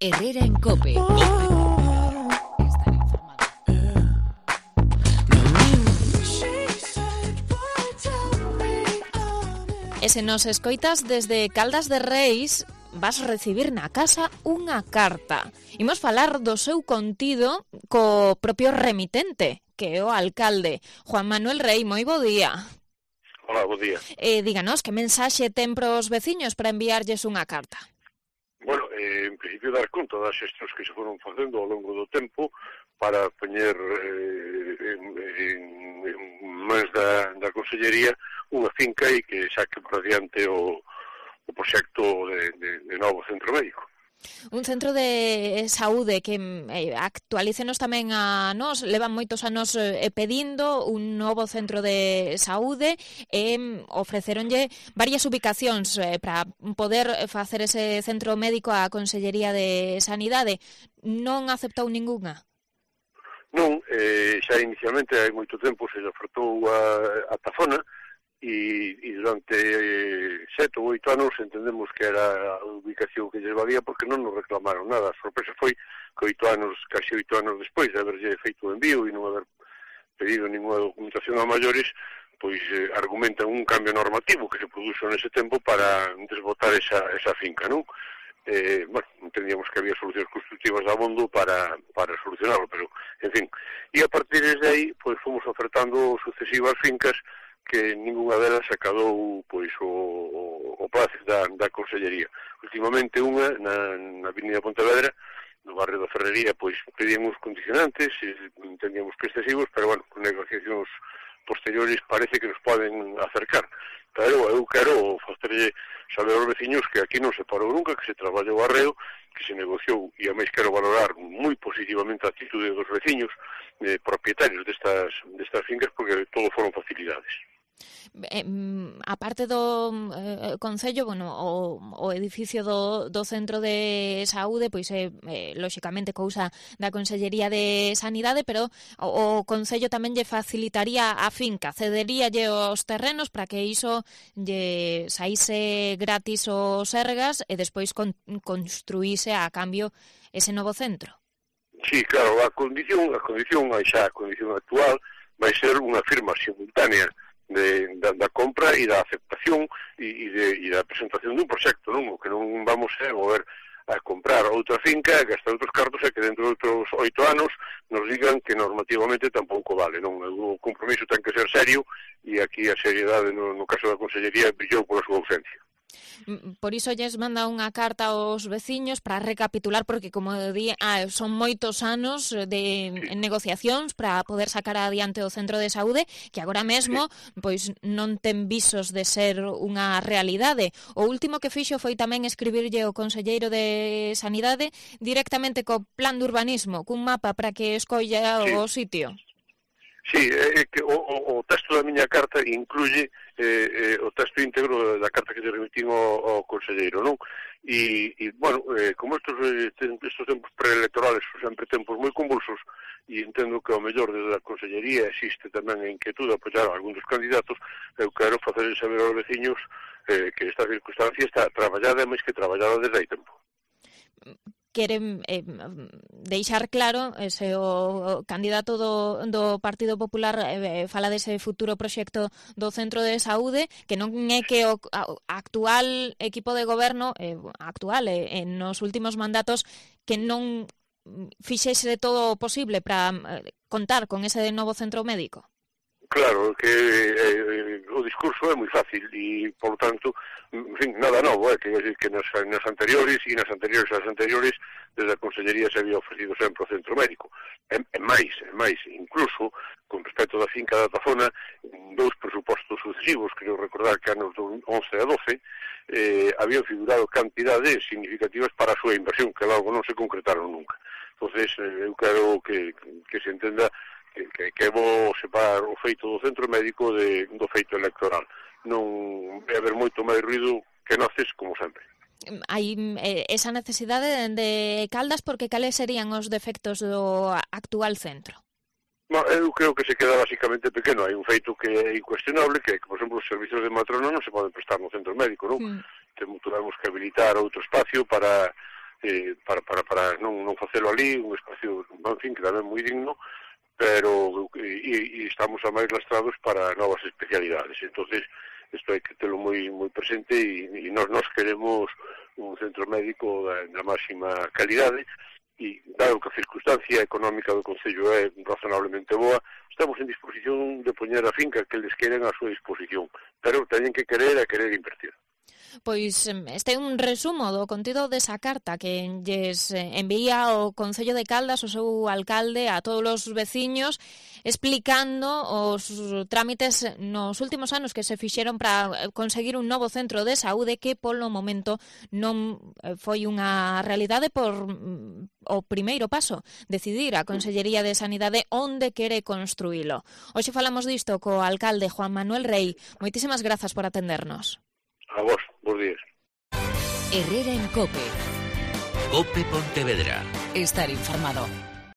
Herrera en COPE. Estar informado. E se nos escoitas desde Caldas de Reis, vas recibir na casa unha carta. Imos falar do seu contido co propio remitente, que é o alcalde. Juan Manuel Rei, moi bo día. Hola, bo día. Díganos, que mensaxe ten pros veciños para enviarlles unha carta? Bueno, en principio dar conta das xestións que se foron facendo ao longo do tempo para poñer en mans da Consellería unha finca e que saque por adiante o proxecto de novo centro médico. Un centro de saúde que actualícenos tamén a nós, levan moitos anos pedindo un novo centro de saúde e ofreceronlle varias ubicacións para poder facer ese centro médico á Consellería de Sanidade. Non aceptou ningunha? Non, xa inicialmente hai moito tempo se ofertou a Tafona e durante 7 ou 8 anos entendemos que era a ubicación que lles valía porque non nos reclamaron nada. A sorpresa foi que casi 8 anos despois de haberlle feito o envío e non haber pedido ninguna documentación a maiores, pois argumentan un cambio normativo que se produxo nese tempo para desbotar esa finca, non? Bueno, entendíamos que había solucións constructivas de abondo para solucionarlo, pero, en fin. E a partir de aí, pois fomos ofertando sucesivas fincas que ningunha delas acadou pois o place da Consellería. Últimamente unha na Avenida Pontevedra, no barrio da Ferrería, pois pedían uns condicionantes, entendíamos que excesivos, pero bueno, con negociacións posteriores parece que nos poden acercar. Pero eu quero facerlle saber aos veciños que aquí non se parou nunca, que se traballou arreo, que se negociou, e a máis quero valorar moi positivamente a actitude dos veciños propietarios destas fincas, porque todo foron facilidades. A parte do Concello, bueno, o edificio do Centro de Saúde, pois é lóxicamente cousa da Consellería de Sanidade, pero o Concello tamén lle facilitaría a finca, cederíalle os terrenos para que iso lle saíse gratis os sergas e despois construíse a cambio ese novo centro. Sí, claro, a condición actual vai ser unha firma simultánea da compra e da aceptación e da presentación dun proxecto, non? O que non vamos a mover a comprar outra finca, gastar outros cartos e que dentro de outros 8 anos nos digan que normativamente tampouco vale, non? O compromiso ten que ser serio e aquí a seriedade no caso da Consellería brillou pola súa ausencia. Por iso lles manda unha carta aos veciños para recapitular, porque como di, son moitos anos de negociacións para poder sacar adiante o centro de saúde, que agora mesmo pois non ten visos de ser unha realidade. O último que fixo foi tamén escribirlle o conselleiro de Sanidade directamente co plan de urbanismo, cun mapa para que escolla o sitio. Sí, que o texto da miña carta incluye o texto íntegro da carta que lle remitín ao conselleiro, non? E bueno, como estos tempos preelectorales son sempre tempos moi convulsos, e entendo que ao mellor desde a Consellería existe tamén a inquietud de apoiar a algún dos candidatos, eu quero facer saber aos veciños que esta circunstancia está traballada e máis que traballada desde hai tempo. Queren deixar claro, se o candidato do Partido Popular fala dese futuro proxecto do Centro de Saúde, que non é que o actual equipo de goberno, nos últimos mandatos, que non fixese todo o posible para contar con ese novo centro médico. Claro, que o discurso é moi fácil e, por lo tanto, en fin, nada novo, que nas anteriores e nas anteriores desde a Consellería se había ofrecido sempre o centro médico. E máis, incluso, con respecto da finca da Tafona, dous presupostos sucesivos, creo recordar que anos 11 a 12, habían figurado cantidades significativas para a súa inversión, que logo non se concretaron nunca. Entonces, eu quero que se entenda que é bo separar o feito do centro médico do feito electoral. Non vai haber moito máis ruido que noces, como sempre. Hai esa necesidade de Caldas, porque cales serían os defectos do actual centro? Eu creo que se queda basicamente pequeno. Hai un feito que é incuestionable, que por exemplo, os servizos de matrona non se poden prestar no centro médico, non? Temos que habilitar outro espacio para para non facelo ali, un espacio, en fin, que tamén moi digno, pero estamos a máis lastrados para novas especialidades. Entonces, isto hai que telo moi presente e nós queremos un centro médico da máxima calidade e, dado que a circunstancia económica do Concello é razonablemente boa, estamos en disposición de poñer a finca que eles queren a súa disposición, pero teñen que querer invertir. Pois este é un resumo do contido desa carta que lles envía o Concello de Caldas, o seu alcalde, a todos os veciños, explicando os trámites nos últimos anos que se fixeron para conseguir un novo centro de saúde que polo momento non foi unha realidade por o primeiro paso, decidir a Consellería de Sanidade onde quere construílo. Hoxe falamos disto co alcalde Juan Manuel Rei. Moitísimas grazas por atendernos. A vos, bons días. Herrera en COPE. COPE Pontevedra. Estar informado.